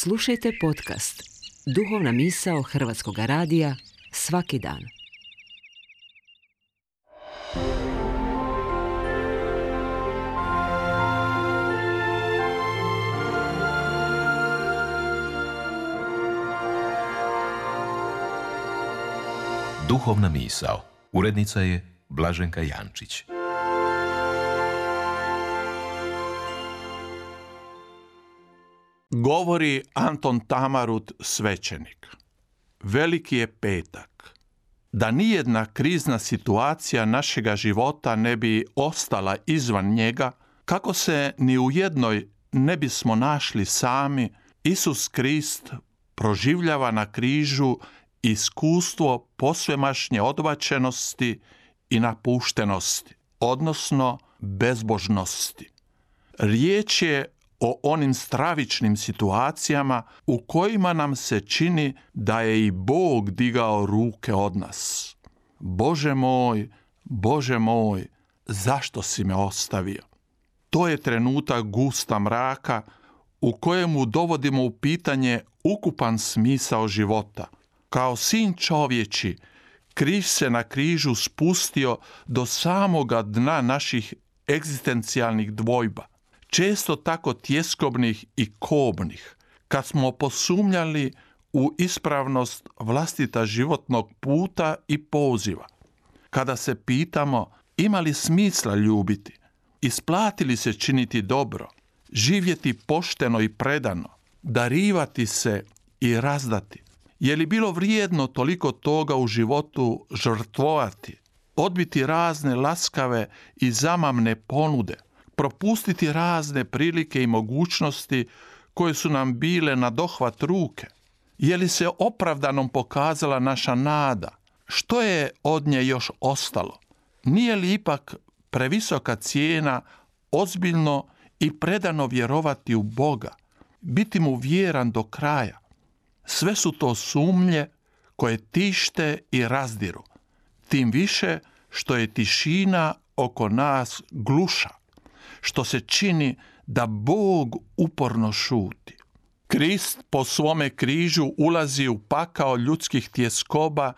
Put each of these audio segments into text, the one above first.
Slušajte podcast Duhovna misao Hrvatskog radija svaki dan. Duhovna misao. Urednica je Blaženka Jančić. Govori Anton Tamarut, svećenik. Veliki je petak. Da nijedna krizna situacija našega života ne bi ostala izvan njega, kako se ni u jednoj ne bismo našli sami, Isus Krist proživljava na križu iskustvo posvemašnje odbačenosti i napuštenosti, odnosno bezbožnosti. Riječ je o onim stravičnim situacijama u kojima nam se čini da je i Bog digao ruke od nas. Bože moj, zašto si me ostavio? To je trenutak gusta mraka u kojemu dovodimo u pitanje ukupan smisao života. Kao sin čovječi, Krist se na križu spustio do samoga dna naših egzistencijalnih dvojba, često tako tjeskobnih i kobnih, kad smo posumnjali u ispravnost vlastita životnog puta i poziva. Kada se pitamo ima li smisla ljubiti, isplati li se činiti dobro, živjeti pošteno i predano, darivati se i razdati. Je li bilo vrijedno toliko toga u životu žrtvovati, odbiti razne laskave i zamamne ponude, propustiti razne prilike i mogućnosti koje su nam bile na dohvat ruke? Je li se opravdanom pokazala naša nada? Što je od nje još ostalo? Nije li ipak previsoka cijena ozbiljno i predano vjerovati u Boga, biti mu vjeran do kraja? Sve su to sumnje koje tište i razdiru, tim više što je tišina oko nas gluša, što se čini da Bog uporno šuti. Krist po svome križu ulazi u pakao ljudskih tjeskoba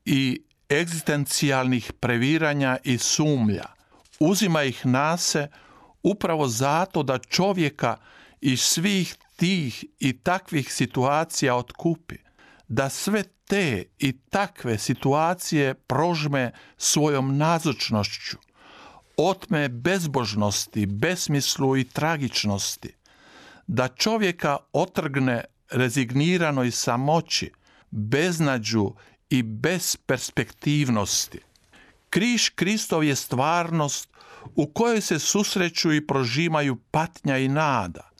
i egzistencijalnih previranja i sumlja. Uzima ih na se upravo zato da čovjeka iz svih tih i takvih situacija otkupi, da sve te i takve situacije prožme svojom nazočnošću, otme bezbožnosti, besmislu i tragičnosti, da čovjeka otrgne rezigniranoj samoći, beznađu i besperspektivnosti. Križ Kristov je stvarnost u kojoj se susreću i prožimaju patnja i nada,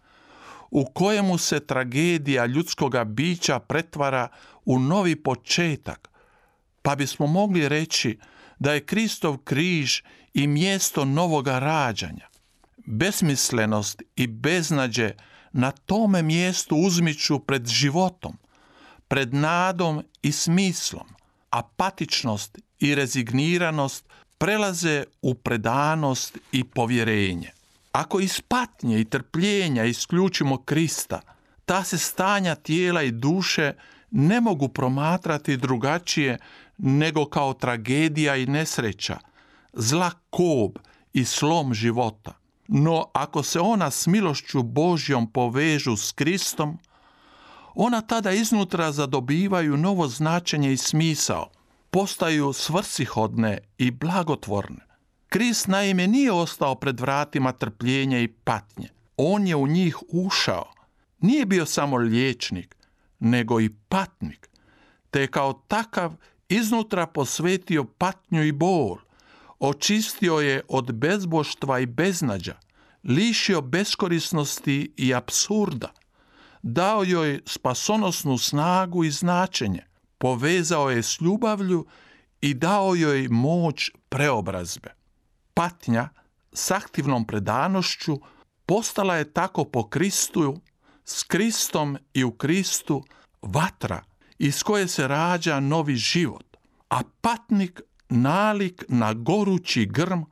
u kojemu se tragedija ljudskoga bića pretvara u novi početak, pa bismo mogli reći da je Kristov križ i mjesto novoga rađanja. Besmislenost i beznađe na tome mjestu uzmiču pred životom, pred nadom i smislom, apatičnost i rezigniranost prelaze u predanost i povjerenje. Ako iz patnje i trpljenja isključimo Krista, ta se stanja tijela i duše ne mogu promatrati drugačije nego kao tragedija i nesreća, zla kob i slom života. No ako se ona s milošću Božjom povežu s Kristom, ona tada iznutra zadobivaju novo značenje i smisao, postaju svrsishodne i blagotvorne. Krist naime nije ostao pred vratima trpljenja i patnje. On je u njih ušao. Nije bio samo liječnik, nego i patnik, te je kao takav iznutra posvetio patnju i bol, očistio je od bezboštva i beznađa, lišio beskorisnosti i apsurda, dao joj spasonosnu snagu i značenje, povezao je s ljubavlju i dao joj moć preobrazbe. Patnja s aktivnom predanošću postala je tako po Kristu, s Kristom i u Kristu vatra iz koje se rađa novi život, a patnik nalik na gorući grm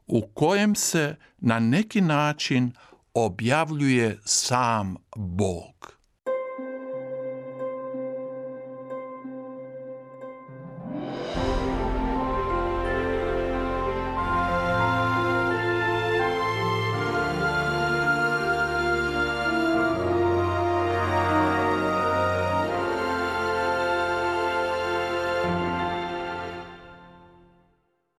u kojem se na neki način objavljuje sam Bog.